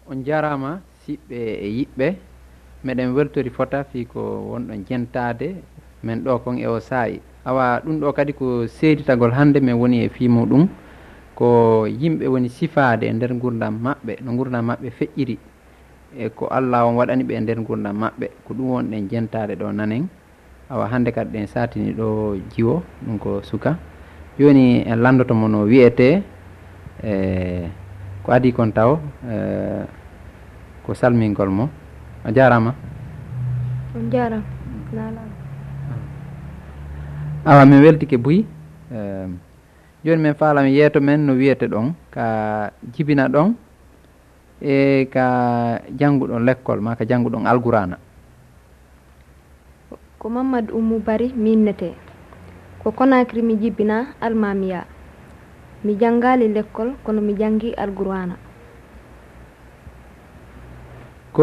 On jarama siɓɓe e yiɓɓe meɗen weltori fota fi ko wonɗon jentade men ɗo kon e o saa'i awa ɗum ɗo kadi ko seeditagol hande min woni e fi muɗum ko yimɓe woni sifade e nder gurdam maɓɓe no gurdam maɓɓe feƴƴiri e ko Allah on waɗani ɓe e nder gurdam maɓɓe ko ɗum wonɗen jentade ɗo nanen awa hande kadi ɗen satini ɗo jiwo ɗum ko suka joni en landotomo no wiyete ko adi kon taw ko salmingol mo a jarama on jarama awa min weltike Buy joni min faalami yeeto men no wiyete ɗon ka jibina ɗon e ka jannguɗon l'école ma ka jannguɗon alqurana ko Mamadou Oumou Bari minnete ko Conakry mi jibina almamiya mi janngali l'école kono mi janngi alqurana